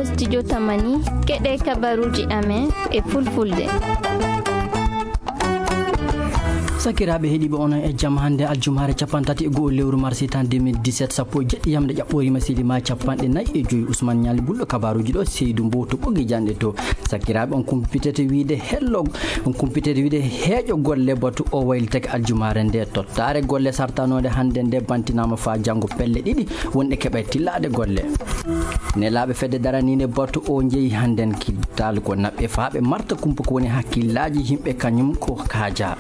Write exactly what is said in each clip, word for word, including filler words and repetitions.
Studio Tamani, keɗe kabaruuji amen e fulfulde. Sakiraaɓe heɗiiɓe, onon e jam. Hannde aljumaare capanɗe tati e go'o lewru mars tan deux mille dix-sept, sappo e jeɗɗi yamde ƴaɓɓooriima, sili ma capanɗe nayi e joyi. Ousmane Ñaali Bulɗo kabaruuji ɗo, Seydou Mbow to ɓoggi janɗe to. Sakiraaɓe, on kumpitete wiide hello, on kumpitete wiide heeƴo golle batu o waylitake aljumaare nde. Tottaare golle sartanoonde hannde nde bantinaama faa janngo pelle ɗiɗi wonɗe keɓay tillaade golle. Nelaaɓe fedde daraniinde batu o njeyi hannden kiddal ko naɓɓe faa ɓe marta kumpa ko woni hakkillaaji yimɓe kañum ko kaaja.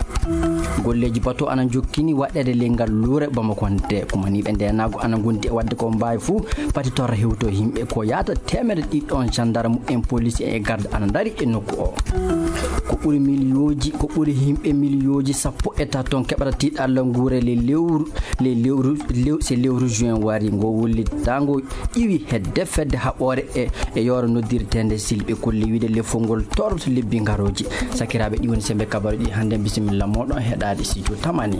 Golleeji batu ana njokkini waɗeede ley ngal luure Bamako nde. Kumaniiɓe ndeenaagu ana ngondi e waɗde ko mbaawi fuu pati torra hewto yimɓe ko yaata teemedde ɗiɗi ɗon. Gendarme en, police en e garde ana ndari e nokku o. Ko ɓuri miliyooji, ko ɓuri yimɓe miliyooji sappo e tato keɓata tiiɗalla nguure le lewru, le lewru, lew-, se lewru juin wari ngo wullitaango iwi hedde fedde haɓoore e, e yooro noddirteende silɓe kolle wiide lefol ngol toroto lebbi ngarooji. Sakiraaɓe, ɗi woni sembe kabaru ɗi hannde. Bisimilla mooɗon heɗaade Studio Tamani.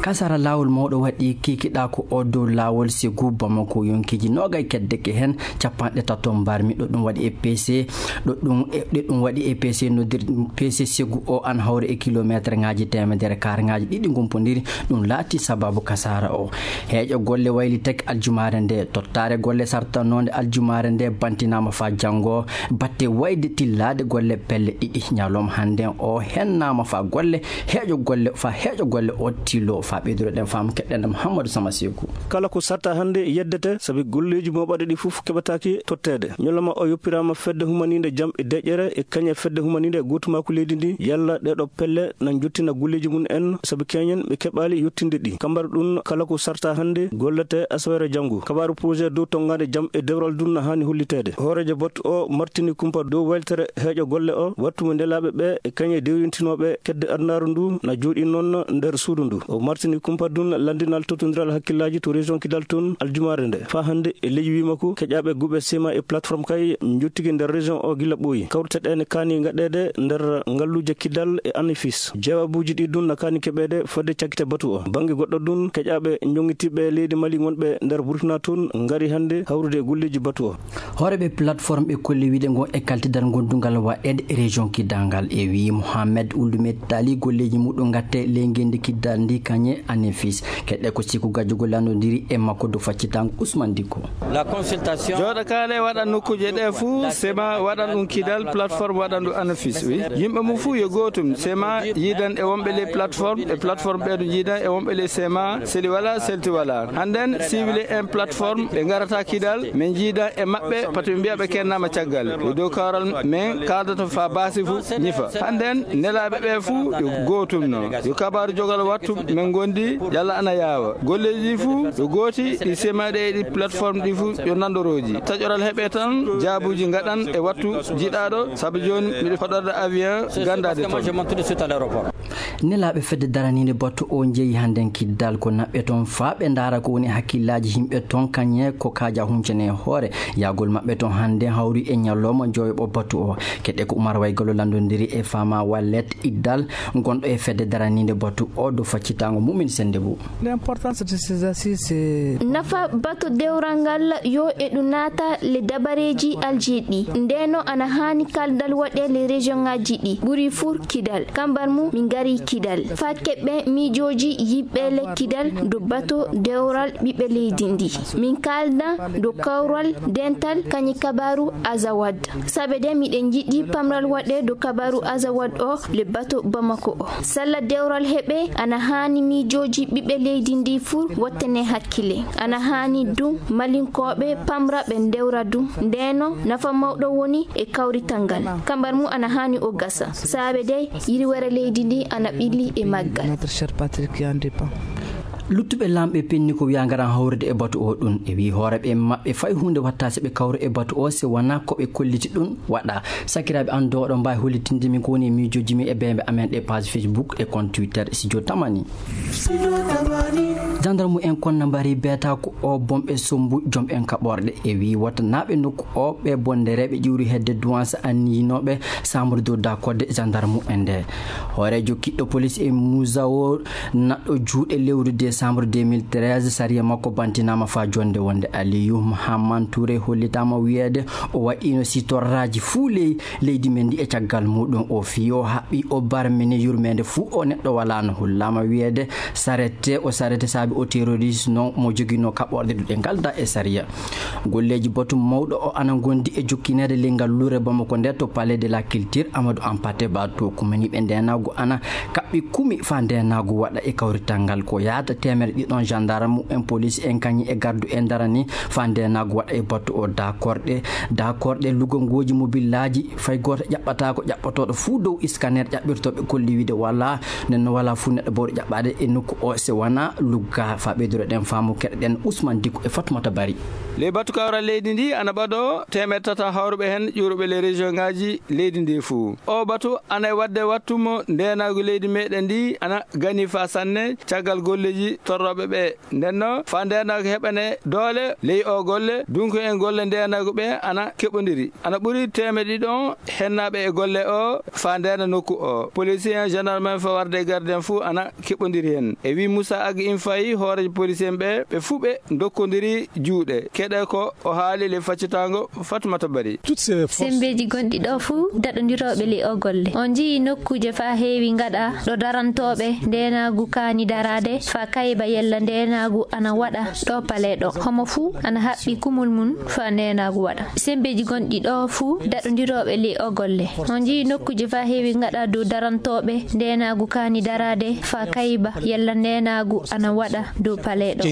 Kasara laawol mawɗo waɗi kikiɗa ko o dow laawol Ségou Bamako, yonkiiji noogay keddeke heen, capanɗe tato mbarmi. Ɗo ɗum waɗi e P C, ɗo ɗum e, ɗo ɗum waɗi e P C noddir-, P C Ségou o an hawri e kilomeetre ŋaaji teemedere, kaar ŋaaji ɗiɗi ngompondiri. Ɗum laati sababu kasara o. Heeƴo golle waylitake aljumaare nde. Tottaare golle sartanoonde aljumaare nde bantinaama faa janngo. Batte wayde tillaade golle pelle ɗiɗi ñalawma hannden o hennaama faa golle heeƴo golle, faa heeƴo golle o tillo. Faa ɓeyduroɗen faamu, keɗɗen Mouhamadou Sama Seeku. Kala ko sarta hannde yeddete, sabi golleeji mo waɗa ɗi fof keɓataake totteede. Ñalawma o yoppiraama fedde humaniinde jam e deƴƴere e kañe fedde humaniinde gootumaaku leydi ndi, yalla ɗee ɗoo pelle na njottina golleeji mum en, sabi keñen ɓe keɓaali yottinde ɗi. Kambar ɗum kala ko sarta hannde gollete asaweere janngo. Kabaaru projet dow tonngaade jam e dewral dum na haani holliteede. Hooreejo batu o martini kumpa dow weltere heeƴo golle o, wattu mo nelaaɓe ɓe e kañe dewrintinooɓe kedde adunaaru ndu na jooɗii noon nder suudu ndu. O martini kumpa dum lanndinal tottondiral hakkillaaji to région Kidal toon aljumaare nde. Faa hannde e leydi Wimako, keƴaaɓe guɓe sema e plateforme kay njottiki nder région o gila ɓooyi. Kawrite ɗe ne kaani ngaɗeede nder ngalluuje Kidal e Anefis. Jawaabuuji ɗi dum na kaani keɓeede fodde cakkite batu o. Bannge goɗɗo dum, keƴaaɓe jonngintiiɓe leydi Mali wonɓe nder Burkina toon ngari hannde hawrude e golleeji batu o. Hooreeɓe plateforme ɓe kolli wiide ngo e kaltidal gondungal waɗeede e région Kidal ngal. E wii Mohamed Ould Metali, golleeji muɗum ngatte ley ngenndi Kidal ndi kañe Anefis. Keɗɗe ko Siku Gajjogo lanndondiri e makko dow faccitango Ousmane Dicko. La consultation. Jooɗa kaale waɗan nokkuuje ɗe fuu, sema waɗan ɗum Kidal, plateforme waɗan ɗum Anefis, wi. Yimɓe mum fuu yo gootum, sema yiidan e wonɓe ley plateforme, e plateforme ɓeeɗo jiidan e wonɓe ley sema, seli wala, selti wala. Hannden, siwile en plateforme, ɓe ngarata Kidal, min jiidan e maɓɓe, pati ɓe mbiya ɓe kennaama caggal. Yo dow kawral men kaaldata faa baasi fuu ñifa. Hannden, nelaaɓe ɓe fuu yo gootum no. Yo kabaaru jogal wattu, men ngondi, yalla ana yaawa. Golleeji fuu yo gooti, ɗi sema ɗe e ɗi plateforme ɗi fuu yo nanndorooji. Taƴoral heɓe tan, jaabuuji ngaɗan e wattu jiɗaaɗo, sabu jooni miɗo hoɗorde avion ganndaade toon. Nelaaɓe fedde daraniinde batu o njeyi hannden Kidal ko naɓɓe toon faa ɓe ndaara ko woni hakkillaaji yimɓe toon kañe ko kaaja huncene hoore. Yahgol maɓɓe toon hannden hawri e ñalawma joweeɓo batu o. Keɗɗe ko Umar Waygalo lanndondiri e Fama Wallet Iddal, gonɗo e fedde daraniinde batu o dow faccitango Mumin Sennde Bou. L'importance de ces assises, c'est nafa batu dewral ngal yo e ɗum naata le dabareeji aljeeɗi. Ndeno ana haani kaldal waɗe le région ngaji ɗi ɓuri fuu Kidal. Kambar mum min ngari Kidal. Faa keɓɓe miijooji yimɓe le Kidal dow batu dewral ɓiɓɓe leydi ndi. Min kaalda dow kawral dental kañi kabaaru Azawad. Saabe de miɗen njiɗi pamral waɗe dow kabaaru Azawad o le batu Bamako o. Salla dewral heɓe ana haani miijooji ɓiɓɓe leydi ndi fuu wattane hakkile. Ana haani dum malinkooɓe pamra ɓe ndewra dum. Ndeno nafa mawɗo woni e kawrital ngal. Kambar mum ana haani o gasa. Saabe de yirwere leydi ndi ana ɓilli e maggal. Notre cher Patrick Yandepa. Luttuɓe laamɓe penni ko wiya ngaran hawrude e batu o ɗum. E wii hooreɓe maɓɓe fay huunde watta si ɓe kawru e batu o, si wonaa ko ɓe kolliti ɗum waɗa. Sakiraaɓe an dooɗo mbaawi hollitinde min ko woni e miijooji min e beembe amen ɗe page Facebook e compte Twitter Studio Tamani. Gendarme en konna mbari beeta ko o bomɓe sombu jom en kaɓorɗe. E wii wota naaɓe nokku o ɓe bondereeɓe ƴiwri hedde duwansa anniyinooɓe chambre de dakode gendarme en nde. Hooreejo kiɗɗo police e Musawo naɗɗo juuɗe lewru décembre deux mille treize, sariya makko bantinaama faa jonnde wonde Aliyu Mahaman Ture hollitaama wiyeede o waɗiino si torraaji fuu ley leydi men ndi e caggal muuɗum o fii o haɓɓi o barmini yurmeende fuu o neɗɗo walaano. Hollaama wiyeede sarete o sarete saabi o terroriste non mo joginoo kaɓorɗe duɗe ngalda e sariya. Golleeji batu mawɗo o ana ngondi e jokkineede ley ngal lure Bamako nde to Palais de la Culture Amadou Hampâté Bâ to kumaniiɓe ndeenaagu ana kaɓɓi kumi faa ndeenaagu waɗa e kawrital ngal ko yaata teemere ɗiɗon gendarme en police en kañi e gardu en darani faa ndeenaagu waɗa e batu o dakorɗe dakorɗe lugongooji mobillaaji fay gooto ƴaɓɓataako ƴaɓɓotooɗo fuu dow scanner ƴaɓɓirtooɓe kolli wiide wala nden no wala fuu neɗɗo bawɗo ƴaɓɓaade e nokku o se wona lugga faa ɓeydoro ɗen faamu keɗoɗen Ousmane Diko e Fatmata Bari. Ley batu kawral leydi ndi ana ɓado teemeɗe tata hawruɓe heen ƴuuruɓe ley région ngaji leydi ndi fuu. O batu ana e waɗde wattu mo ndeenaagu leydi meɗen ndi ana gani faa sanne caggal golleeji torrooɓe ɓe. Nden no faa ndeenaagu heɓane doole ley o golle, dunko en golle ndeenaagu ɓe ana keɓondiri. Ana ɓuri teemeɗe ɗiɗon hennaaɓe e golle o faa ndeena nokku o. Policier en, gendarme en, fawarde e garde en fuu ana keɓondiri heen. E wii Moussa Ag Infayi, hooreejo policier en ɓe, ɓe fuu ɓe ndokkondiri juuɗe. Keɗe ko o haali ley faccitaango Fatmata Bari. Sembeeji gonɗi ɗo fuu daɗondirooɓe ley o golle. On njiyii nokkuuje faa heewi ngaɗa ɗo darantooɓe ndeenaagu kaani daraade faa kayba yella ndeenaagu ana waɗa ɗo palee ɗo. Homo fuu ana haɓɓi kumol mum faa ndeenaagu waɗa. Sembeeji gonɗi ɗo fuu daɗondirooɓe ley o golle. On njiyii nokkuuje faa heewi ngaɗa dow darantooɓe ndeenaagu kaani daraade faa kayba yella ndeenaagu ana waɗa dow palee ɗo.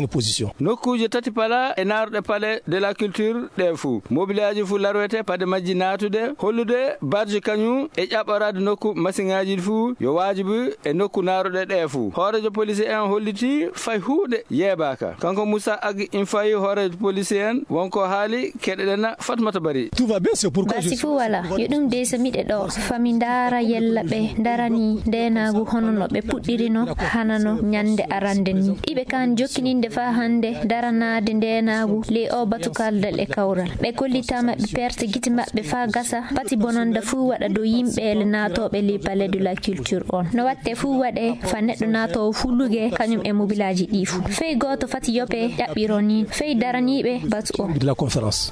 Nokkuuje tati pala e naaruɗe Palais de la Culture ɗe fuu. Mobilaaji fuu larwete paɗe majji naatude, hollude barji kañum e ƴaɓɓoraade nokku masiŋaaji fuu yo waajibi e nokku naaruɗe ɗe fuu. Hooreejo police en holliti fay huunde yeebaaka. Kanko Moussa Ag Infayi, hooreejo police en, wonko haali keɗeɗen Fatmata Bari. Basi fuu wala, yo ɗum dey so miɗe ɗo, faa mi ndaara yella ɓe ndarani ndeenaagu hono no ɓe puɗɗirino hano no ñande arande ni. Iɓe kaan jokkininde faa hannde daranaade ndeenaagu ley o batu kaldal e kawral. Ɓe kollitaama ɓe perte gite maɓɓe faa gasa, pati bonanda fuu waɗa dow yimɓeele naatooɓe ley Palais de la Culture on. No watte fuu waɗe faa neɗɗo naatoowo fuu luge kañum e mobilaaji ɗi fuu. Fey gooto fati yoppe ƴaɓɓiro ni, fey daraniiɓe batu o.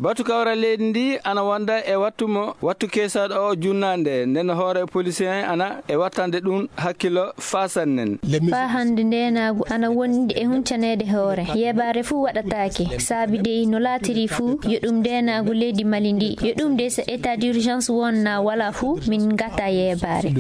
Batu kawral leydi ndi ana wonda e wattu mo, wattu keesaaɗo o junnaande, nden hoore policier en ana e wattande ɗum hakkilo faa sannen. Faa hannde ndeenaagu ana wondi e huncaneede hoore. Yeebaare fuu waɗataake. Saabi dey no laatiri fuu, yo ɗum ndeenaagu leydi Mali ndi. Yo ɗum dey so état d'urgence won naa wala fuu, min ngata yeebaare.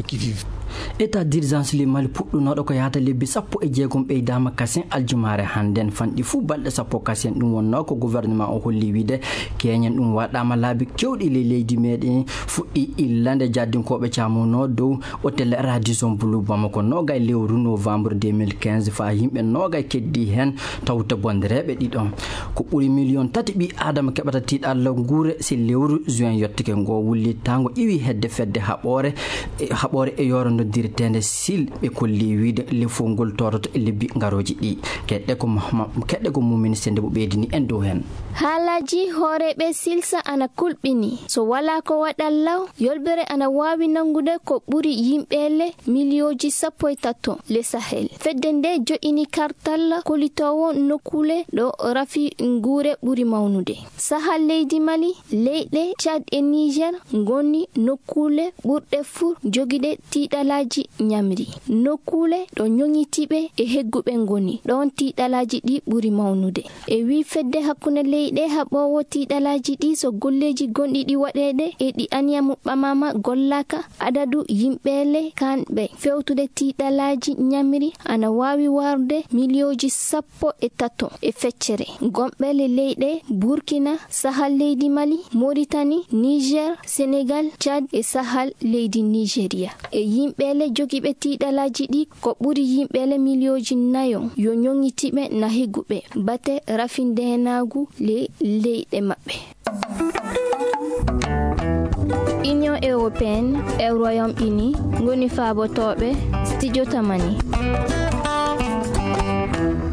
État d'urgence ley Mali puɗɗunooɗo ko yaata lebbi sappo e jeegom ɓeydaama kasen aljumaare hannden fanɗi fuu balɗe sappo kasen. Ɗum wonnoo ko gouvernement o holli wiide keñen ɗum waɗaama laabi kewɗi ley leydi meɗen fuɗɗi illande jaddinkooɓe caamunoo dow hotel Radisson Blu Bamako noogay lewru novembre deux mille quinze faa yimɓe noogay keddi heen tawta bondereeɓe ɗiɗon. Ko ɓuri miliyon tati ɓii aadama keɓata tiiɗalla nguure si lewru juin yottike ngo wullitaango iwi hedde fedde haɓoore e haɓoore e yooro noddireteende sil ɓe kolli wiide lefol ngol toroto e lebbi ngarooji ɗi. Keɗɗe ko Mahma-, keɗɗe ko mumini sende mo ɓeydini en dow heen. Haalaaji hooreeɓe silsa ana kulɓini. So walaa ko waɗal law, yolbere ana waawi nanngude ko ɓuri yimɓeele miliyooji sappo e tato le Sahel. Fedde nde joɗini kartal kolitoowo nokkuule ɗo rafi nguure ɓuri mawnude. Sahal leydi Mali, leyɗe Tchad e Niger ngoni nokkuule ɓurɗe fuu jogiɗe tiiɗalaaji ñamri. Nokkuule ɗo ñoŋitiiɓe e hegguɓe ngoni, ɗoon tiiɗalaaji ɗi ɓuri mawnude. E wii fedde hakkunde leyɗe haɓoowo tiiɗalaaji ɗi, so golleeji gonɗi ɗi waɗeede e ɗi aniya muɓɓamaama gollaaka, adadu yimɓeele kanɓe fewtude tiiɗalaaji ñamri ana waawi warde miliyooji sappo e tato e feccere. Gomɓe le leyɗe Burkina, Sahal leydi Mali, Moritani, Niger, Senegal, Tchad e Sahal leydi Nigeria. E yimɓeele jogiiɓe tiiɗalaaji ɗi ko ɓuri yimɓeele miliyooji nayo yo ñoŋitiiɓe na higuɓe bate rafi ndeenaagu le leyɗe maɓɓe. Union européenne e Royaume Uni ngoni faabotooɓe Studio Tamani.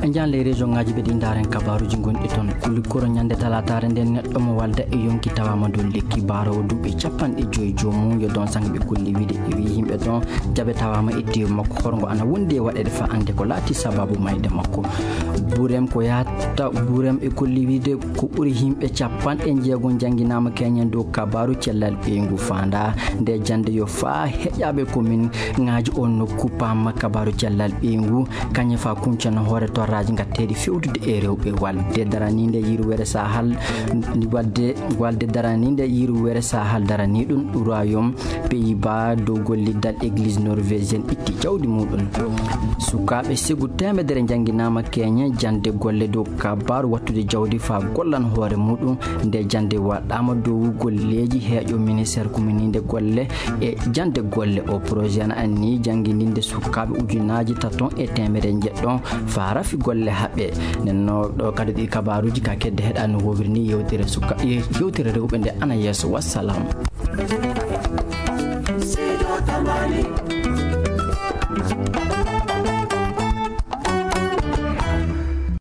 En jaan ley région ngaji ɓe ɗi ndaaren kabaruji gonɗi toon. Kulli koro ñande talataare nden neɗɗo mo walda e yonki tawaama dow lekki, baarowo duuɓi capanɗe joyi joomum yo don sang ɓe golli wiide e wi yimɓe ɗon jaɓe tawaama e teewu makko horngo ana wondi e waɗeede fa annde ko laati sababu mayde makko. Burem ko yahata burem e golli wiide ko ɓuri yimɓe capanɗe jeegom jannginaama keñen dow kabaru cellal ɓeyngu faanda nde jannde yo faa heƴaaɓe komin ŋaaji on nokku paama kabaru cellal ɓeyngu. Kañe fa kuncana hoore torraji gatteɗi fewtude e rewɓe walde daraninde yiruwere sahal walde walde daraninde yiruwere sahal darani ɗum royaume pays bas dow golliddal église norvégienne itti jawdi muɗum. Sukaɓe segu temedere jangguinama keñe jande golle dow kabaru wattude jawdi fa gollan hoore muɗum. Nde jande waɗɗama dow golleji heeƴo ministère kumininde golle e jande golle o projet ana anni jangguindinde sukaɓe ujunaji taton e temere jeɗɗon fa rafi golle haɓɓe. Nenno ɗo kadi ɗi kabaruji ka kedde heɗa no wowiri ni yewtere suka yewtere rewɓe nde ana yeeso wassalam.